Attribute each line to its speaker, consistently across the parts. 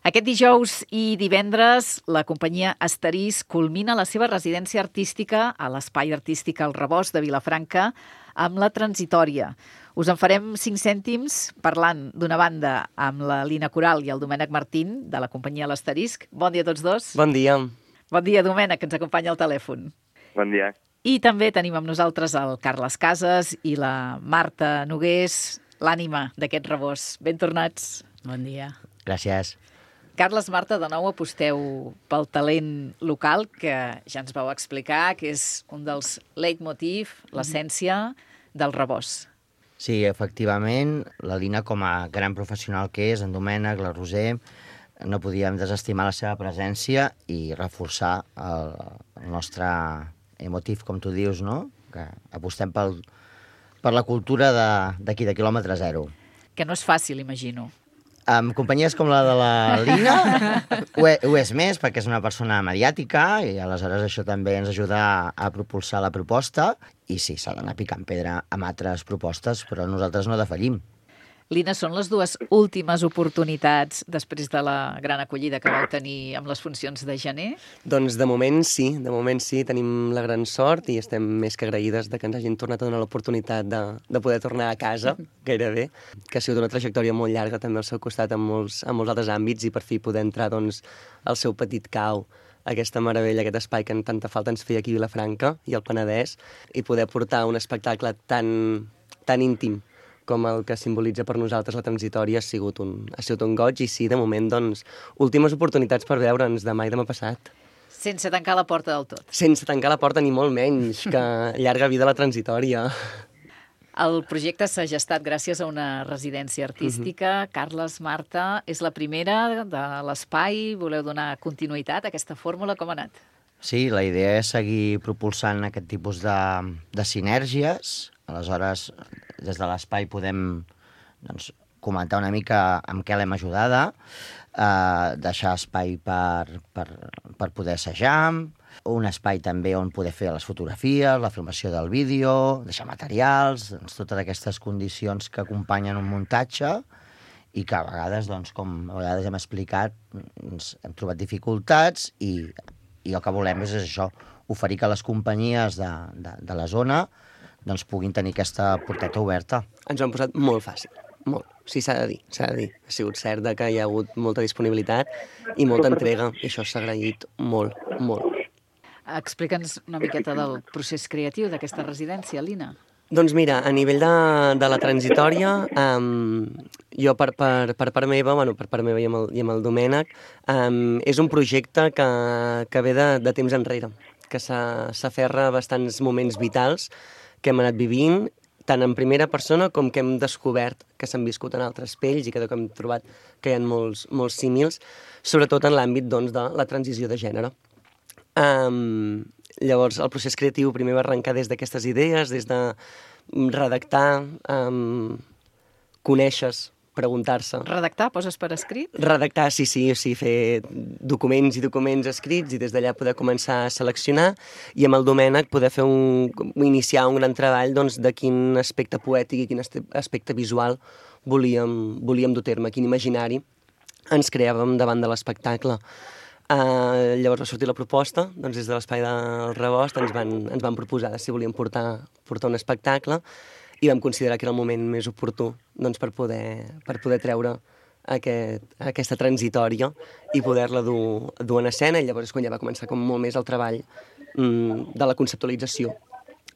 Speaker 1: Aquest dijous i divendres, la companyia Asterisc culmina la seva residència artística a l'Espai Artístic El Rebost de Vilafranca amb la Transitòria. Us en farem 5 cèntims parlant d'una banda amb la Lina Coral i el Domènec Martín, de la companyia L'Asterisc. Bon dia a tots dos.
Speaker 2: Bon dia.
Speaker 1: Bon dia, Domènec, que ens acompanya al telèfon.
Speaker 3: Bon dia.
Speaker 1: I també tenim amb nosaltres el Carles Casas i la Marta Nogués, l'ànima d'aquest rebost. Ben tornats.
Speaker 4: Bon dia.
Speaker 2: Gràcies.
Speaker 1: Carles, Marta, de nou aposteu pel talent local, que ja ens vau explicar, que és un dels leitmotiv, l'essència del rebost.
Speaker 2: Sí, efectivament, la Lina, com a gran professional que és, en Domènec, la Roser, no podíem desestimar la seva presència i reforçar el nostre emotiu, com tu dius, no? Que apostem per la cultura d'aquí, de quilòmetre zero.
Speaker 1: Que no és fàcil, imagino.
Speaker 2: Amb companyies com la de la Lina ho és més, perquè és una persona mediàtica i aleshores això també ens ajuda a propulsar la proposta i sí, s'ha d'anar picant pedra amb altres propostes, però nosaltres no defallim.
Speaker 1: Lina, són les dues últimes oportunitats després de la gran acollida que vau tenir amb les funcions de gener?
Speaker 2: Doncs de moment sí, tenim la gran sort i estem més que agraïdes de que ens hagin tornat a donar l'oportunitat de poder tornar a casa, gairebé, que ha sigut una trajectòria molt llarga també al seu costat en molts altres àmbits i per fi poder entrar doncs, al seu petit cau, aquesta meravella, aquest espai que tanta falta ens feia aquí a Vilafranca i al Penedès, i poder portar un espectacle tan íntim com el que simbolitza per nosaltres la Transitòria ha sigut un goig i sí, de moment, doncs, últimes oportunitats per veure'ns demà i demà passat.
Speaker 1: Sense tancar la porta del tot.
Speaker 2: Sense tancar la porta ni molt menys, que llarga vida la Transitòria.
Speaker 1: El projecte s'ha gestat gràcies a una residència artística. Carles, Marta, és la primera de l'espai. Voleu donar continuïtat a aquesta fórmula? Com ha anat?
Speaker 2: Sí, la idea és seguir propulsant aquest tipus de sinergies. Aleshores, des de l'espai podem comentar una mica amb què l'hem ajudada, deixar espai per poder assajar, un espai també on poder fer les fotografies, la filmació del vídeo, deixar materials, totes aquestes condicions que acompanyen un muntatge i que a vegades, com a vegades hem explicat, hem trobat dificultats i el que volem és això, oferir que les companyies de la zona puguin tenir aquesta porteta oberta. Ens ho han posat molt fàcil, molt. Sí, s'ha de dir. Ha sigut cert que hi ha hagut molta disponibilitat i molta entrega, i això s'ha agraït molt, molt.
Speaker 1: Explica'ns una miqueta del procés creatiu d'aquesta residència, Lina.
Speaker 5: Doncs mira, a nivell de la Transitòria, jo per part meva, per part meva i amb el Domènec, és un projecte que ve de temps enrere, que s'aferra a bastants moments vitals que hem anat vivint, tant en primera persona com que hem descobert que s'han viscut en altres pells i que hem trobat que hi ha molts símils, sobretot en l'àmbit de la transició de gènere. Llavors, el procés creatiu primer va arrencar des d'aquestes idees, des de redactar, conèixer-se, preguntar-se.
Speaker 1: Redactar, poses per escrit?
Speaker 5: Redactar, sí, fer documents i documents escrits i des d'allà poder començar a seleccionar i amb el Domènec poder iniciar un gran treball de quin aspecte poètic i quin aspecte visual volíem dur a terme, quin imaginari ens creàvem davant de l'espectacle. Llavors va sortir la proposta, des de l'Espai del Rebost ens van proposar si volíem portar un espectacle i vam considerar que era el moment més oportú per poder treure aquesta transitòria i poder-la dur en escena, i llavors és quan ja va començar molt més el treball de la conceptualització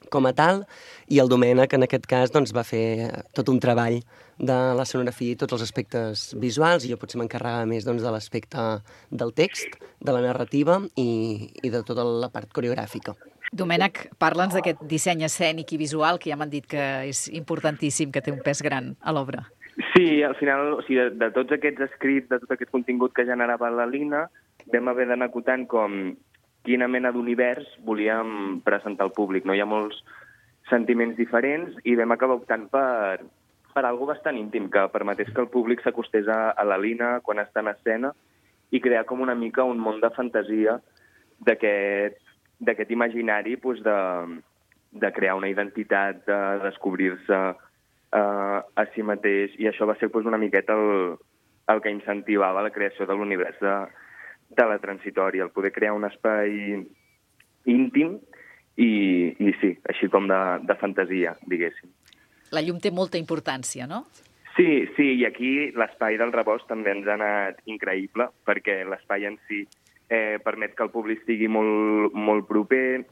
Speaker 5: com a tal, i el Domènec en aquest cas va fer tot un treball de l'escenografia i tots els aspectes visuals, i jo potser m'encarregava més de l'aspecte del text, de la narrativa i de tota la part coreogràfica.
Speaker 1: Domènec, parla'ns d'aquest disseny escènic i visual que ja m'han dit que és importantíssim, que té un pes gran a l'obra.
Speaker 3: Sí, al final, de tots aquests escrits, de tot aquest contingut que generava la Lina, vam haver d'anar acotant quina mena d'univers volíem presentar al públic. Hi ha molts sentiments diferents i vam acabar optant per algo bastant íntim, que permetés que el públic s'acostés a la Lina quan està en escena i crear com una mica un món de fantasia d'aquest imaginari de crear una identitat, de descobrir-se a si mateix, i això va ser una miqueta el que incentivava la creació de l'univers de la transitòria, el poder crear un espai íntim i sí, així com de fantasia, diguéssim.
Speaker 1: La llum té molta importància, no?
Speaker 3: Sí, i aquí l'espai del rebost també ens ha anat increïble, perquè l'espai en si permet que el públic estigui molt, molt proper,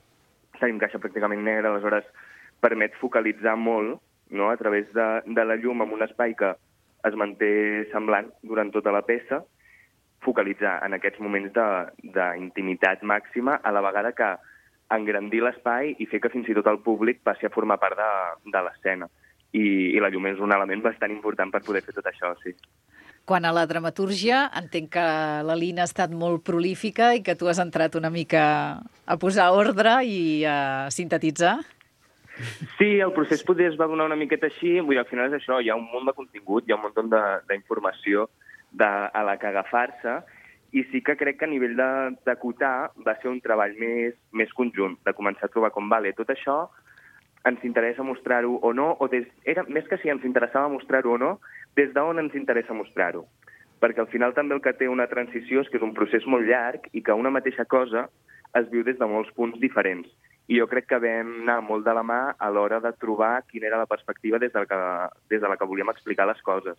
Speaker 3: tenim caixa pràcticament negra, aleshores permet focalitzar molt, no?, a través de la llum en un espai que es manté semblant durant tota la peça, focalitzar en aquests moments d'intimitat màxima, a la vegada que engrandir l'espai i fer que fins i tot el públic passi a formar part de l'escena. I la llum és un element bastant important per poder fer tot això, sí.
Speaker 1: Quant a la dramatúrgia, entenc que la Lina ha estat molt prolífica i que tu has entrat una mica a posar ordre i a sintetitzar.
Speaker 3: Sí, el procés potser es va donar una miqueta així, vull dir, al final és això, hi ha un munt de contingut, hi ha un munt d'informació a la que agafar-se, i sí que crec que a nivell d'acotar va ser un treball més conjunt, de començar a trobar com, vale, tot això ens interessa mostrar-ho o no, era més que si ens interessava mostrar-ho o no, des d'on ens interessa mostrar-ho. Perquè al final també el que té una transició és que és un procés molt llarg i que una mateixa cosa es viu des de molts punts diferents. I jo crec que vam anar molt de la mà a l'hora de trobar quina era la perspectiva des de la que volíem explicar les coses.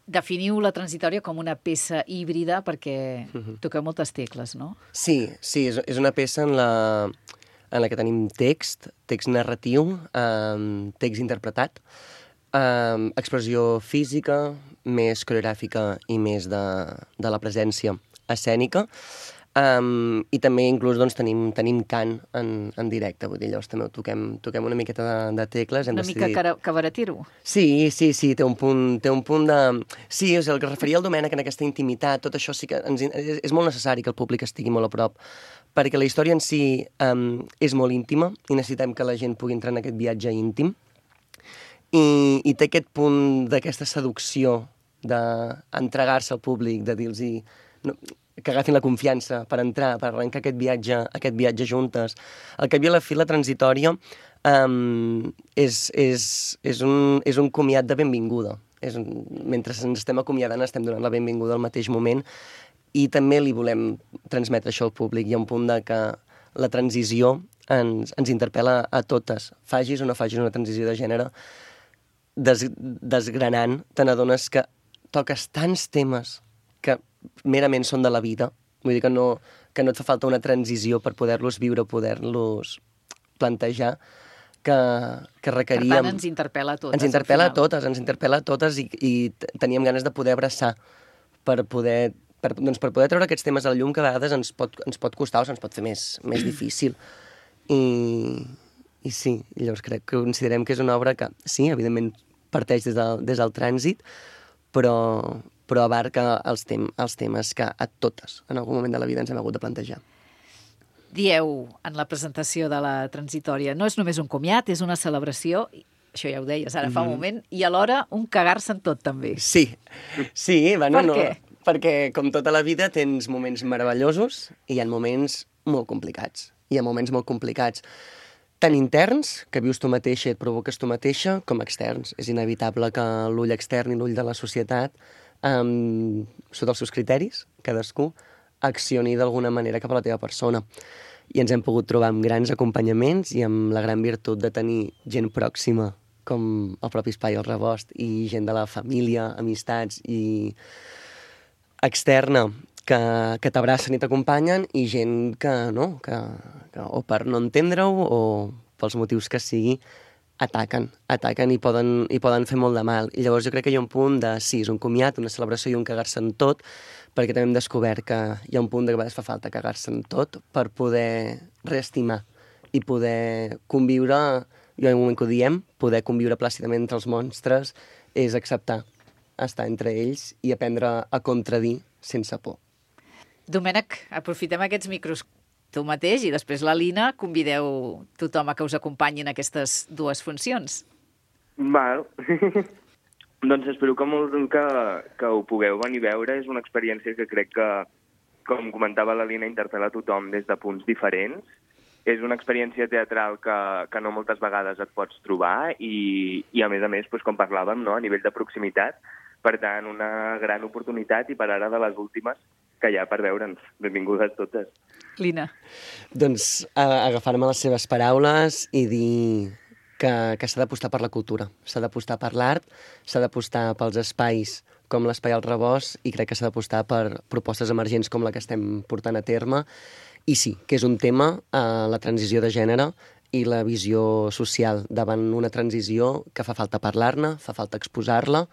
Speaker 1: Definiu la transitòria com una peça híbrida perquè toqueu moltes tecles, no?
Speaker 5: Sí, és una peça en la que tenim text narratiu, text interpretat, expressió física, més coreogràfica i més de la presència escènica, i també inclús doncs, tenim cant en directe, vull dir, llavors també toquem una miqueta de tecles.
Speaker 1: Una mica cabaretiro.
Speaker 5: Sí, té un punt de... Sí, és el que es referia al Domènec en aquesta intimitat, tot això sí que és molt necessari que el públic estigui molt a prop, perquè la història en si és molt íntima i necessitem que la gent pugui entrar en aquest viatge íntim, i té aquest punt d'aquesta seducció d'entregar-se al públic, de dir-los que agafin la confiança per entrar, per arrencar aquest viatge juntes. Al cap i a la fi, la transitòria és un comiat de benvinguda. Mentre ens estem acomiadant, estem donant la benvinguda al mateix moment, i també li volem transmetre això al públic. Hi ha un punt de que la transició ens interpel·la a totes. Facis o no facis una transició de gènere, desgranant, te n'adones que toques tants temes que merament són de la vida. Vull dir que no et fa falta una transició per poder-los viure, poder-los plantejar, que requeríem...
Speaker 1: Per tant, ens interpel·la a totes.
Speaker 5: Ens interpel·la a totes i teníem ganes de poder abraçar per poder treure aquests temes a la llum, que a vegades ens pot costar o se'ns pot fer més difícil. I sí, llavors considerem que és una obra que, sí, evidentment parteix des del trànsit, però abarca els temes que a totes, en algun moment de la vida, ens hem hagut de plantejar.
Speaker 1: Dieu en la presentació de la transitòria, no és només un comiat, és una celebració, això ja ho deies ara fa un moment, i alhora un cagar-se en tot, també.
Speaker 5: Sí, bueno,
Speaker 1: Per què?
Speaker 5: Perquè, com tota la vida, tens moments meravellosos i hi ha moments molt complicats. Tant interns, que vius tu mateixa i et provoques tu mateixa, com externs. És inevitable que l'ull extern i l'ull de la societat, sota els seus criteris, cadascú, accioni d'alguna manera cap a la teva persona. I ens hem pogut trobar amb grans acompanyaments i amb la gran virtut de tenir gent pròxima, com el propi Espai El Rebost, i gent de la família, amistats i externa, que t'abracen i t'acompanyen, i gent que o per no entendre-ho o pels motius que sigui, ataquen i poden fer molt de mal. I llavors jo crec que hi ha un punt de, sí, és un comiat, una celebració i un cagar-se en tot, perquè també hem descobert que hi ha un punt de que a vegades fa falta cagar-se en tot per poder reestimar i poder conviure, jo en un moment que ho diem, poder conviure plàcidament entre els monstres és acceptar estar entre ells i aprendre a contradir sense por.
Speaker 1: Domènec, aprofitem aquests micros tu mateix i després la Lina, convideu tothom a que us acompanyin aquestes dues funcions.
Speaker 3: Val. Doncs espero que ho pugueu venir a veure. És una experiència que crec que, com comentava la Lina, interpel·la a tothom des de punts diferents. És una experiència teatral que no moltes vegades et pots trobar i a més, com parlàvem, no? A nivell de proximitat, Per tant, una gran oportunitat i per ara de les últimes que hi ha per veure'ns. Benvingudes totes.
Speaker 1: Lina.
Speaker 5: Doncs agafar-me les seves paraules i dir que s'ha d'apostar per la cultura, s'ha d'apostar per l'art, s'ha d'apostar pels espais com l'Espai al Rebost i crec que s'ha d'apostar per propostes emergents com la que estem portant a terme. I sí, que és un tema, la transició de gènere i la visió social davant una transició que fa falta parlar-ne, fa falta exposar-la,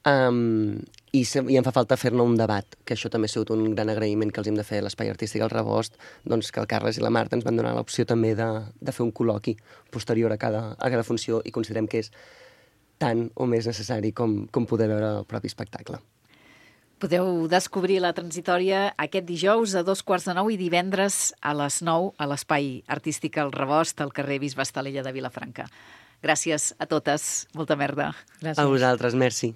Speaker 5: i em fa falta fer-ne un debat, que això també ha sigut un gran agraïment que els hem de fer a l'Espai Artístic al Rebost, doncs que el Carles i la Marta ens van donar l'opció també de fer un col·loqui posterior a cada funció i considerem que és tant o més necessari com poder veure el propi espectacle.
Speaker 1: Podeu descobrir la transitòria aquest dijous a 8:15 i divendres a les 9 a l'Espai Artístic al Rebost, al carrer Bisbe Estalella de Vilafranca. Gràcies a totes. Molta merda.
Speaker 5: Gràcies. A vosaltres, merci.